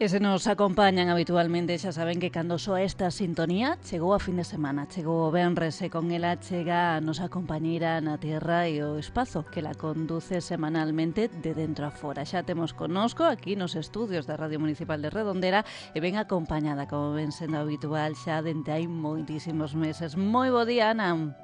E se nos acompañan habitualmente, xa saben que cando soa esta sintonía chegou a fin de semana, chegou o venres e con ela chega a nosa compañeira na Terra e o Espazo, que la conduce semanalmente de dentro a fora. Xa temos connosco aquí nos estudios da Radio Municipal de Redondela e ben acompañada, como ven sendo habitual, xa dende hai moitísimos meses. Moi bo día, Ana.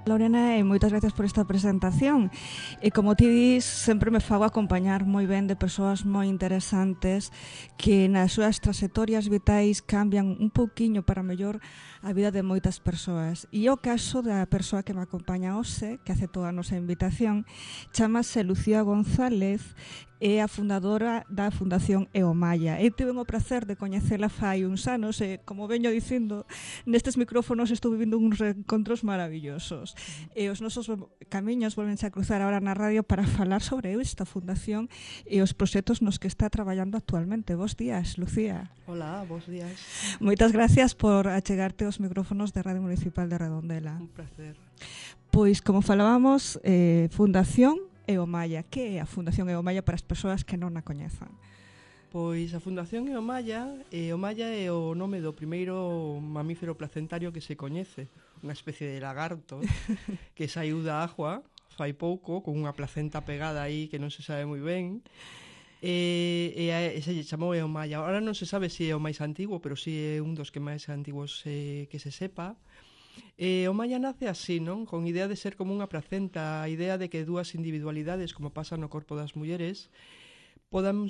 Lorena, e moitas gracias por esta presentación. E como ti dis, sempre me fago acompañar moi ben de persoas moi interesantes que nas súas trayectorias vitais cambian un pouquiño para mellor a vida de moitas persoas. E o caso da persoa que me acompaña hoxe, que aceptou a nosa invitación, chamase Lucía González, é a fundadora da Fundación EOMAIA. E tive o prazer de coñecela fai uns anos e, como veño dicindo, nestes micrófonos estou vivindo uns reencontros maravillosos. E os nosos camiños volvense a cruzar agora na radio para falar sobre esta fundación e os proxectos nos que está traballando actualmente. Bos días, Lucía. Hola, bos días. Moitas gracias por achegarte aos micrófonos da Radio Municipal de Redondela. Un placer. Pois, como falábamos, Fundación EOMAIA. Que é a Fundación EOMAIA para as persoas que non a coñezan? Pois a Fundación EOMAIA é o nome do primeiro mamífero placentario que se coñece, unha especie de lagarto que saiu da agua fai pouco, con unha placenta pegada aí que non se sabe moi ben, e se lle chamou EOMAIA. Ahora non se sabe se é o máis antigo, pero si é un dos que máis antigos que se sepa. O Maya nace así, non? Con idea de ser como unha placenta, a idea de que dúas individualidades, como pasa no corpo das mulleres, podan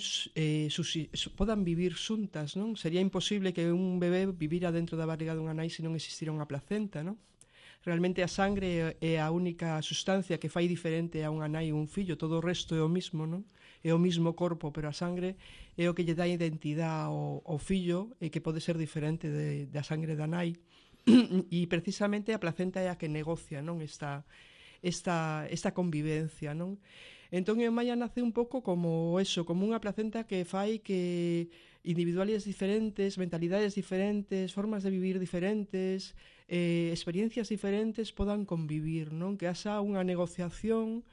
vivir xuntas, non? Sería imposible que un bebé vivira dentro da barriga dunha nai se non existira unha placenta, non? Realmente a sangre é a única sustancia que fai diferente a unha nai e un fillo, todo o resto é o mismo, non? É o mismo corpo, pero a sangre é o que lle dá identidade ao fillo e que pode ser diferente da sangre da nai. E precisamente a placenta é a que negocia, non, esta convivencia, non? Entón o Maya nace un pouco como eso, como unha placenta que fai que individualidades diferentes, mentalidades diferentes, formas de vivir diferentes, experiencias diferentes podan convivir, non? Que haxa unha negociación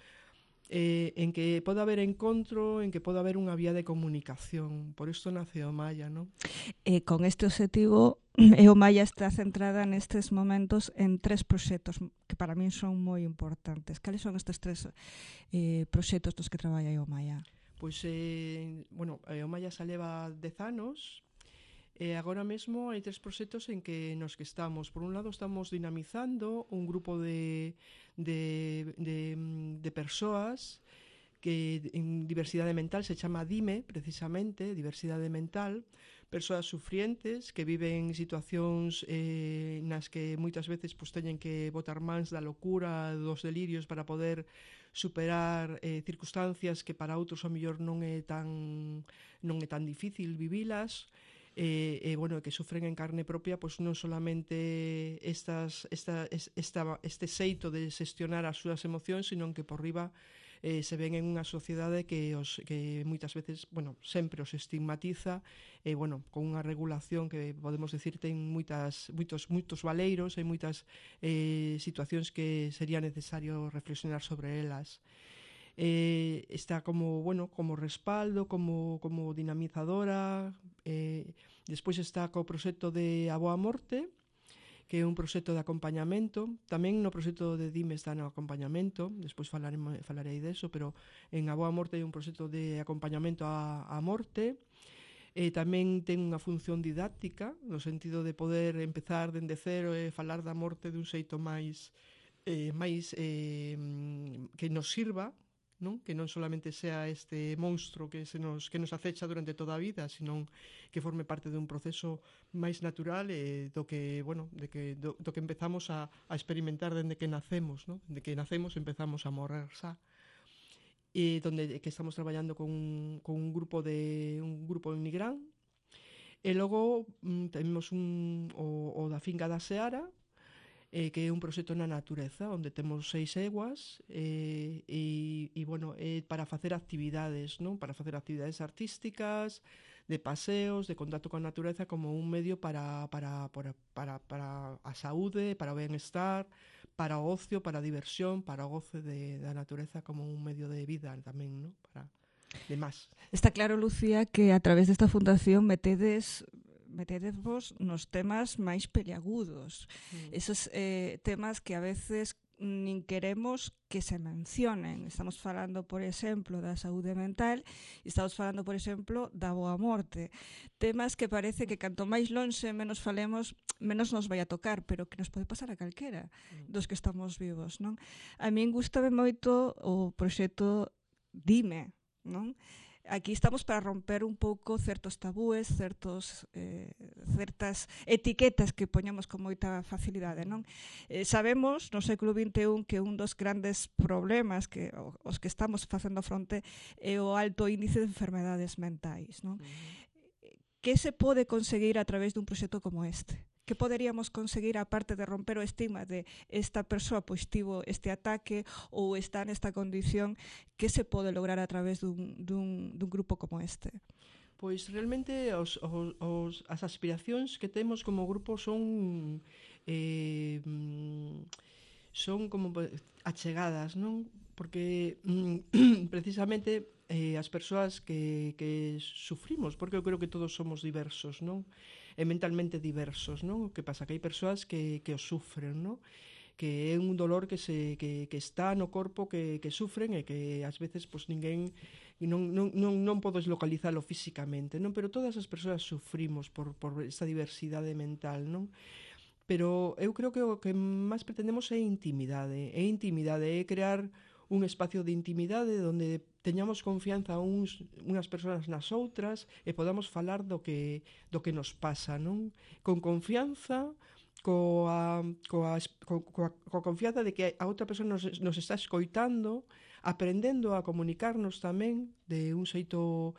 en que poda haber encontro, en que poda haber unha vía de comunicación. Por isto nace o Maya, non? E con este objetivo, EOMAIA está centrada nestes momentos en 3 proxectos que para min son moi importantes. Cales son estes 3 proxectos dos que traballa EOMAIA? Pois, EOMAIA xa leva 10 anos. E agora mesmo hai 3 proxectos nos que estamos. Por un lado, estamos dinamizando un grupo de persoas que en diversidade mental se chama DIME, precisamente, diversidade mental, persoas sufrientes que viven situacións nas que moitas veces teñen que botar mans da locura, dos delirios para poder superar circunstancias que para outros ao mellor non é tan difícil vivilas. Que sufren en carne propia pois non solamente este xeito de xestionar as súas emocións, sino que por riba se ven en unha sociedade que moitas veces, sempre os estigmatiza, con unha regulación que podemos decir ten moitos valeiros, hai moitas situacións que sería necesario reflexionar sobre elas. Está como respaldo, como dinamizadora. Despois está co proxecto de A Boa Morte, que é un proxecto de acompañamento. Tamén no proxecto de DIME está no acompañamento, despois falarei deso, pero en A Boa Morte hai un proxecto de acompañamento á morte. Tamén ten unha función didáctica, no sentido de poder empezar dende cero e falar da morte dun xeito máis que nos sirva, non? Que non solamente sea este monstro que nos acecha durante toda a vida, sino que forme parte dun proceso máis natural do que empezamos a experimentar dende que nacemos, non? Dende que nacemos empezamos a morrer xa. Que estamos traballando con un grupo en Nigrán. E logo temos o da Finca da Seara, que é un proxecto na natureza onde temos 6 eguas para facer actividades, non? Para facer actividades artísticas, de paseos, de contacto con a natureza como un medio para a saúde, para o benestar, para o ocio, para a diversión, para o goce da natureza como un medio de vida tamén, non? de más. Está claro, Lucía, que a través desta fundación metedevos nos temas máis peliagudos. Esos temas que a veces nin queremos que se mencionen. Estamos falando, por exemplo, da saúde mental e estamos falando, por exemplo, da boa morte. Temas que parece que canto máis lonxe menos falemos, menos nos vai a tocar, pero que nos pode pasar a calquera dos que estamos vivos, non? A min gustame moito o proxecto Dime, non? Aquí estamos para romper un pouco certos tabúes, certas etiquetas que poñemos con moita facilidade, non? Sabemos no século XXI que un dos grandes problemas que os que estamos facendo fronte é o alto índice de enfermedades mentais, non? Que se pode conseguir a través dun proxecto como este? Que poderíamos conseguir, aparte de romper o estigma de esta persoa pois tivo este ataque ou está nesta condición, que se pode lograr a través dun grupo como este? Pois realmente as aspiracións que temos como grupo son como achegadas, non? Porque precisamente as persoas que sufrimos, porque eu creo que todos somos diversos, non? E mentalmente diversos, non? O que pasa que hai persoas que o sufren, non? Que é un dolor que está no corpo, que sufren e que ás veces pois ninguén non podes localizalo físicamente, non? Pero todas as persoas sufrimos por esta diversidade mental, non? Pero eu creo que o que máis pretendemos é intimidade, é crear un espacio de intimidade onde teñamos confianza unhas persoas nas outras e podamos falar do que nos pasa, non? Con confianza, coa confianza de que a outra persoa nos está escoitando, aprendendo a comunicarnos tamén de un xeito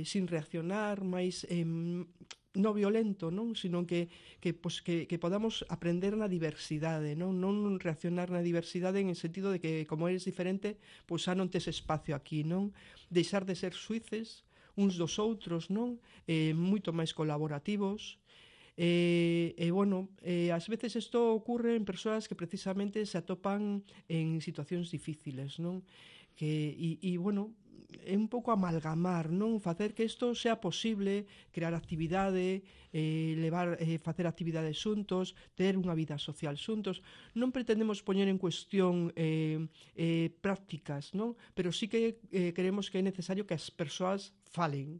sin reaccionar, máis non violento, non? Sino que podamos aprender na diversidade, non reaccionar na diversidade en el sentido de que como eres diferente, pois xa non tes espacio aquí, non? Deixar de ser suíces uns dos outros, non? Moito máis colaborativos. Ás veces isto ocurre en persoas que precisamente se atopan en situacións difíciles, non? É un pouco amalgamar, non? Facer que isto sea posible, crear actividade, facer actividades xuntos, ter unha vida social xuntos. Non pretendemos poñer en cuestión prácticas, non? Pero sí que creemos que é necesario que as persoas falen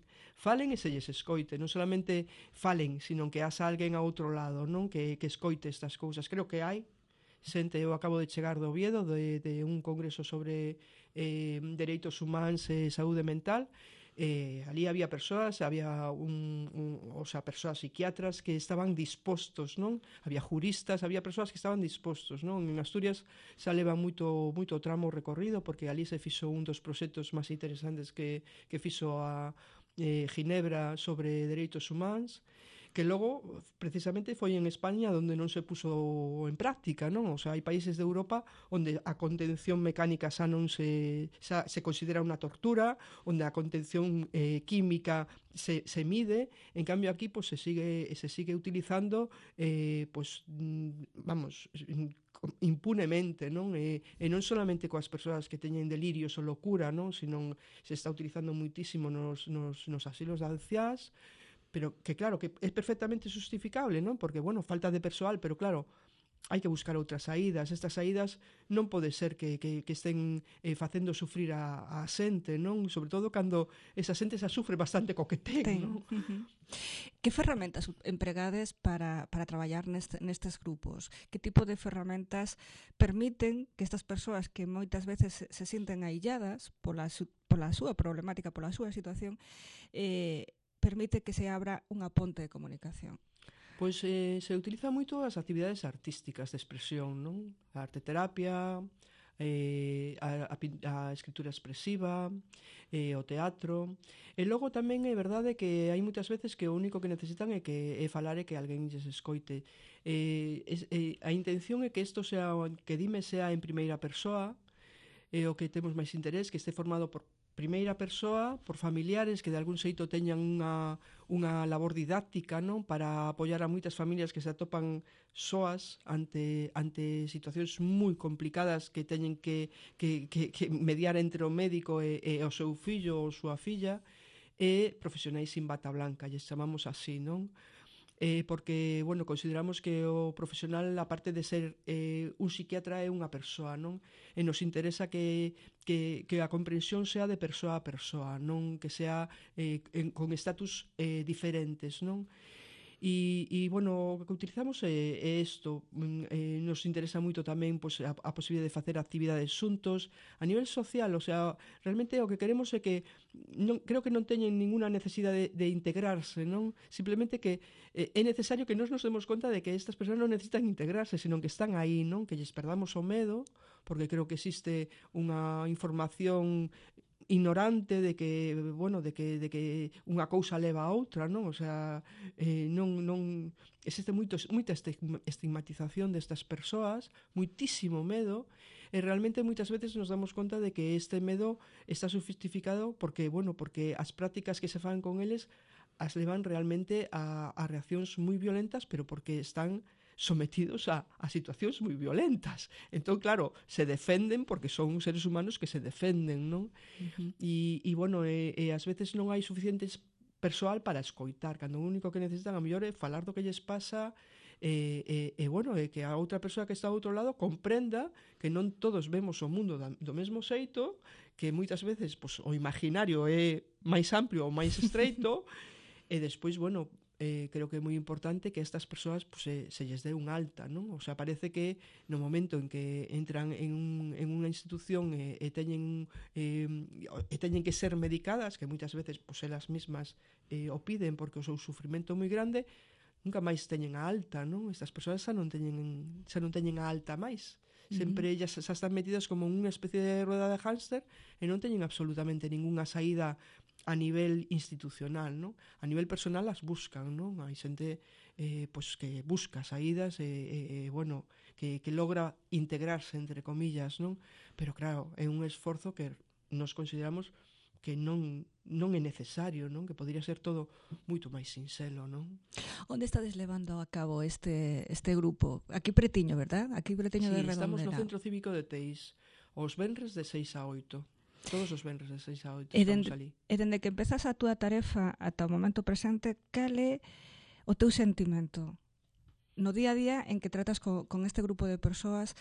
e se lles escoite, non solamente falen, sino que haxa alguén a outro lado, non? Que escoite estas cousas. Creo que hai xente, eu acabo de chegar do Oviedo de un congreso sobre dereitos humanos e saúde mental. Ali había persoas, persoas psiquiatras que estaban dispostos, non? Había juristas, había persoas que estaban dispostos, non? En Asturias xa leva moito tramo recorrido porque ali se fixo un dos proxectos máis interesantes que fixo a Ginebra sobre dereitos humanos, que logo precisamente foi en España onde non se puso en práctica, non? O sea, hai países de Europa onde a contención mecánica xa se considera unha tortura, onde a contención química se mide, en cambio aquí pues, se sigue utilizando impunemente, non? E non solamente coas persoas que teñen delirios ou locura, non? Sino se está utilizando muitísimo nos asilos de anciás, pero que claro, que é perfectamente justificable, non? Porque, bueno, falta de persoal, pero claro, hai que buscar outras saídas. Estas saídas non pode ser que estén facendo sufrir a xente, non? Sobre todo cando esa xente xa sufre bastante co que ten, non? Que ferramentas empregades para traballar nestes grupos? Que tipo de ferramentas permiten que estas persoas que moitas veces se sinten ailladas pola súa problemática, pola súa situación, permite que se abra unha ponte de comunicación? Pois se utiliza moito as actividades artísticas de expresión, non? A arteterapia, a escritura expresiva, o teatro. E logo tamén é verdade que hai moitas veces que o único que necesitan é falar e que alguén lles escoite. A intención é que Dime sea en primeira persoa, o que temos máis interés, que este formado por primeira persoa, por familiares que de algún xeito teñan unha labor didáctica, non, para apoiar a moitas familias que se atopan soas ante situacións moi complicadas que teñen que mediar entre o médico e o seu fillo ou súa filla, e profesionais sin bata blanca, lles chamamos así, non? Porque, bueno, consideramos que o profesional, aparte de ser un psiquiatra, é unha persoa, non? E nos interesa que a comprensión sea de persoa a persoa, non que sea con estatus diferentes, non? Bueno, o que utilizamos é isto. Nos interesa moito tamén pois, a posibilidade de facer actividades xuntos a nivel social, o sea, realmente o que queremos é que creo que non teñen ninguna necesidade de integrarse, non? Simplemente que é necesario que nos demos conta de que estas persoas non necesitan integrarse, senón que están aí, non? Que lles perdamos o medo, porque creo que existe unha información ignorante de que, bueno, de que unha cousa leva a outra, non? O sea, non existe moita estigmatización destas persoas, moitísimo medo, e realmente moitas veces nos damos conta de que este medo está justificado porque, bueno, porque as prácticas que se fan con eles as levan realmente a reaccións moi violentas, pero porque están sometidos a situacións moi violentas. Entón, claro, se defenden porque son seres humanos que se defenden, non? Bueno, ás veces non hai suficientes persoal para escoitar, cando o único que necesitan a mellor é falar do que lles pasa bueno, que a outra persoa que está ao outro lado comprenda que non todos vemos o mundo do mesmo xeito, que moitas veces pois, o imaginario é máis amplio ou máis estreito, e despois, bueno, creo que é moi importante que estas persoas pues, se lles dé un alta, non? O sea, parece que no momento en que entran en unha institución e teñen que ser medicadas, que moitas veces pues, elas mismas o piden porque o seu sufrimento é moi grande, nunca máis teñen a alta, non? Estas persoas xa non teñen a alta máis. Sempre ellas xa están metidas como unha especie de rueda de hámster e non teñen absolutamente ningunha saída a nivel institucional, non? A nivel personal as buscan, non? Hai xente pois que busca saídas bueno, que logra integrarse entre comillas, non? Pero claro, é un esforzo que nos consideramos que non é necesario, non? Que podría ser todo moito máis sinxelo, non? Onde estades levando a cabo este grupo? Aquí pretiño, verdad? Aquí pretiño de Redondela. Estamos no Centro Cívico de Teis, os venres de 6 a 8. Todos os venres de 6 a 8 estamos ali. E dende que empezas a túa tarefa ata o momento presente, cal é o teu sentimento? No día a día en que tratas con este grupo de persoas,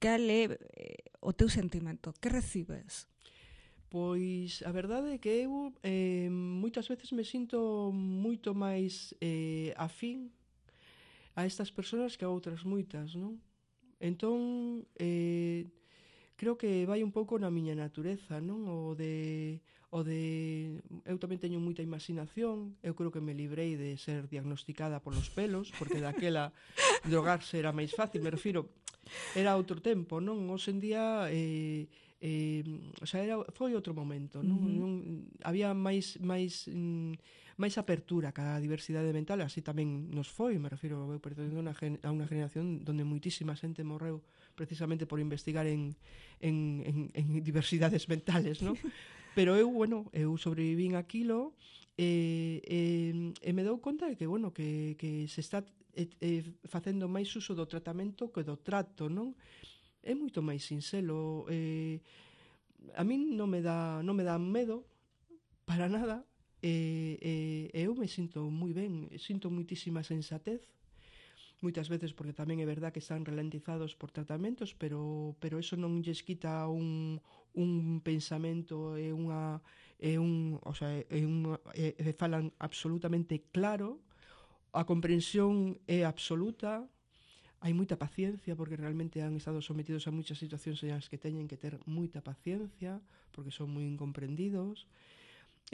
cal é o teu sentimento? Que recibes? Pois a verdade é que eu moitas veces me sinto moito máis afín a estas persoas que a outras moitas, non? Entón, creo que vai un pouco na miña natureza, non? O de eu tamén teño moita imaginación, eu creo que me librei de ser diagnosticada polos pelos, porque daquela drogarse era máis fácil, me refiro, era outro tempo, non? Hoxe en día o sea, foi outro momento, non? Había máis apertura ca diversidade mental, así tamén nos foi, me refiro, eu pertencendo a unha generación onde moitísima xente morreu precisamente por investigar en diversidades mentales, non? Pero eu, bueno, eu sobrevivín aquilo e me dou conta de que, bueno, que se está facendo máis uso do tratamento que do trato, non? É moito máis sinxelo. A min non me dá medo para nada. Eu me sinto moi ben, sinto moitísima sensatez, moitas veces porque tamén é verdad que están ralentizados por tratamentos, pero eso non lles quita un pensamento falan absolutamente claro, a comprensión é absoluta, hai moita paciencia porque realmente han estado sometidos a moitas situacións en as que teñen que ter moita paciencia porque son moi incomprendidos.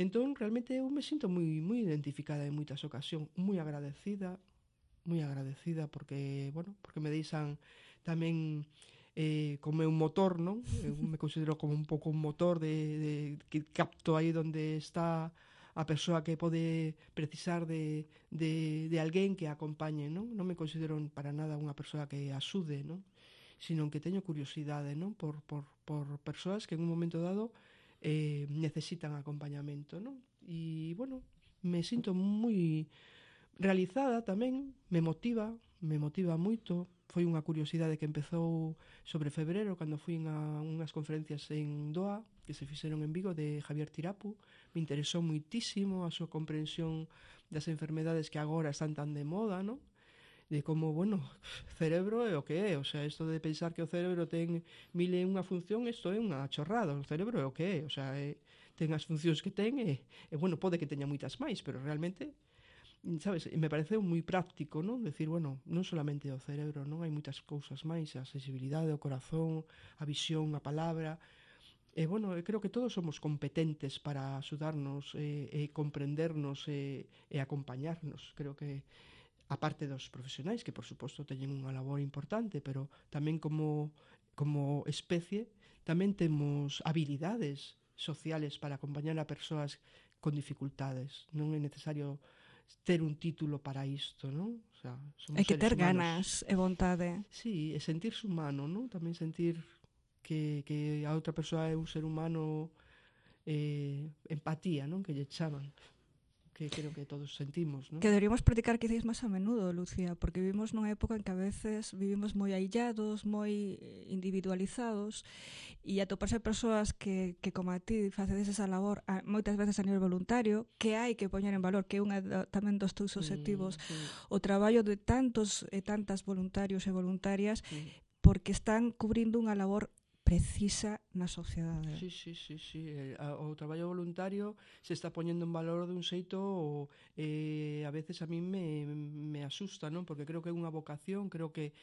Entón, realmente eu me sinto moi identificada en moitas ocasións, moi agradecida porque, bueno, porque me deixan tamén como un motor, non? Eu me considero como un pouco un motor que capto aí onde está a persoa que pode precisar de alguén que a acompañe, non? Non me considero para nada unha persoa que axude, non? Sino que teño curiosidade, non? Por persoas que en un momento dado necesitan acompañamento, non? E, bueno, me sinto moi realizada tamén, me motiva moito. Foi unha curiosidade que empezou sobre febrero, cando fui a unhas conferencias en Doha, que se fixeron en Vigo, de Javier Tirapu. Me interesou moitísimo a súa comprensión das enfermedades que agora están tan de moda, non? De como, bueno, cerebro é o que é, o sea, isto de pensar que o cerebro ten mil e unha función, isto é unha chorrada, o cerebro é o que é, o sea, ten as funcións que ten e bueno, pode que teña moitas máis, pero realmente, sabes, me pareceu moi práctico, non? Decir, bueno, non solamente o cerebro, non? Hai moitas cousas máis, a sensibilidade, o corazón, a visión, a palabra. E, bueno, creo que todos somos competentes para axudarnos e comprendernos e acompañarnos. Creo que, a parte dos profesionais, que por suposto teñen unha labor importante, pero tamén como especie, tamén temos habilidades sociales para acompañar a persoas con dificultades. Non é necesario ter un título para isto, non? O sea, somos hai que ter seres humanos. ganas e vontade. Sí, e sentirse humano, non? Tamén sentir que a outra persoa é un ser humano, empatía, non? Que lle chaman, que creo que todos sentimos, non? Que deberíamos practicar quizás máis a menudo, Lucía, porque vivimos nunha época en que a veces vivimos moi aillados, moi individualizados, e atoparse persoas que como a ti facedes esa labor moitas veces a nivel voluntario, que hai que poñer en valor, que é unha tamén dos teus obxectivos, o traballo de tantos e tantas voluntarios e voluntarias, porque están cubrindo unha labor precisa na sociedade. Sí. O traballo voluntario se está poñendo en valor dun xeito a veces a mí me asusta, non? Porque creo que é unha vocación, creo que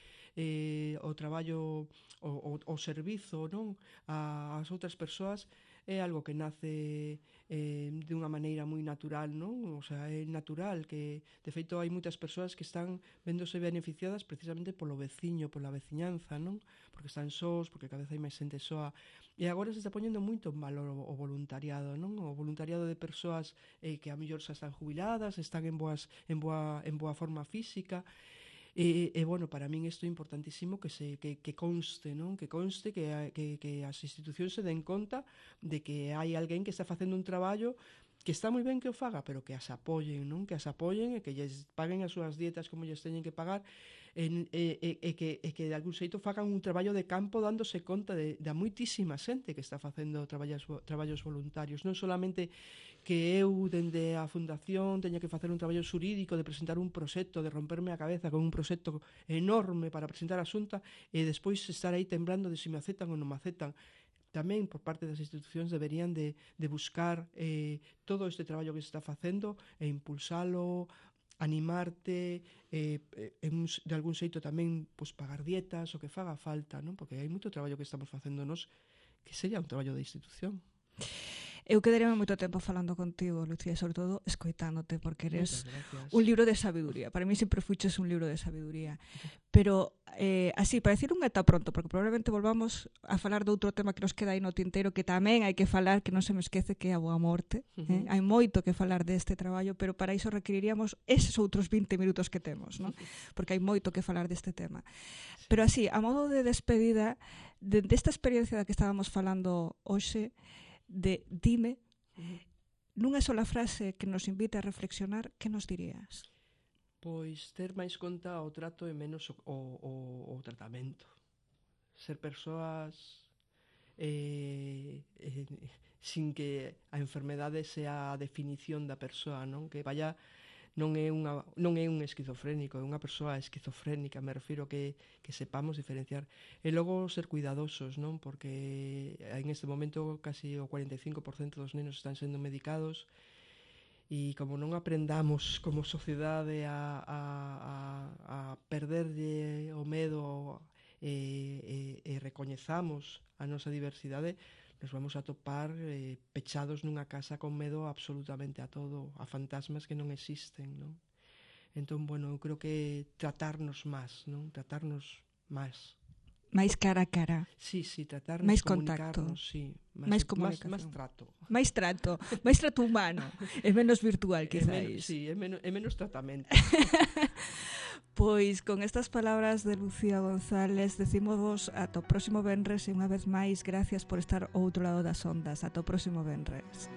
o traballo, o servizo, non? Ás outras persoas é algo que nace de unha maneira moi natural, non? O sea, é natural que, de feito, hai moitas persoas que están vendose beneficiadas precisamente polo veciño, pola veciñanza, non? Porque están sós, porque cada vez hai máis xente soa. E agora se está poñendo moito en valor o voluntariado, non? O voluntariado de persoas que a mellor xa están jubiladas, están en boa forma física. E bueno, para min isto é importantísimo que conste, non? Que conste que as institucións se den conta de que hai alguén que está facendo un traballo que está moi ben que o faga, pero que as apoyen, non? Que as apoyen e que lles paguen as súas dietas como lles teñen que pagar e que de algún xeito fagan un traballo de campo dándose conta da moitísima xente que está facendo traballos voluntarios, non solamente que eu dende a fundación teña que facer un traballo xurídico de presentar un proxecto, de romperme a cabeza con un proxecto enorme para presentar a Xunta e despois estar aí temblando de se me aceptan ou non me aceptan. Tamén por parte das institucións deberían de buscar todo este traballo que se está facendo e impulsalo, animarte, de algún xeito tamén pagar dietas, o que faga falta, non? Porque hai moito traballo que estamos facendo nos que sería un traballo de institución. Eu quedaríame moito tempo falando contigo, Lucía, sobre todo escoitándote, porque eres un libro de sabiduría. Para mí sempre fuches un libro de sabiduría. Pero, así, para decir un eta pronto, porque probablemente volvamos a falar de outro tema que nos queda aí no tinteiro, que tamén hai que falar, que non se me esquece, que é a boa morte. Hai moito que falar deste traballo, pero para iso requeriríamos eses outros 20 minutos que temos, non? Porque hai moito que falar deste tema. Pero así, a modo de despedida, desta experiencia da que estábamos falando hoxe, dime, nunha sola frase que nos invite a reflexionar, que nos dirías? Pois ter máis conta o trato e menos o tratamento. Ser persoas sin que a enfermedade sea a definición da persoa, non? Que vaya, non é un esquizofrénico, é unha persoa esquizofrénica, me refiro que sepamos diferenciar. E logo ser cuidadosos, non? Porque en este momento casi o 45% dos nenos están sendo medicados e como non aprendamos como sociedade a perderlle o medo e recoñezamos a nosa diversidade, nos vamos a topar pechados nunha casa con medo absolutamente a todo, a fantasmas que non existen, non? Entón, bueno, eu creo que tratarnos máis, non? Tratarnos máis. Máis cara a cara. Sí, tratarnos, máis comunicarnos, contacto. Sí. Máis comunicación. Máis trato. Máis trato humano. É menos virtual, quizáis. Sí, é menos tratamento. Pois con estas palabras de Lucía González decimos ata o próximo venres e unha vez máis gracias por estar ao outro lado das ondas. Ata o próximo venres.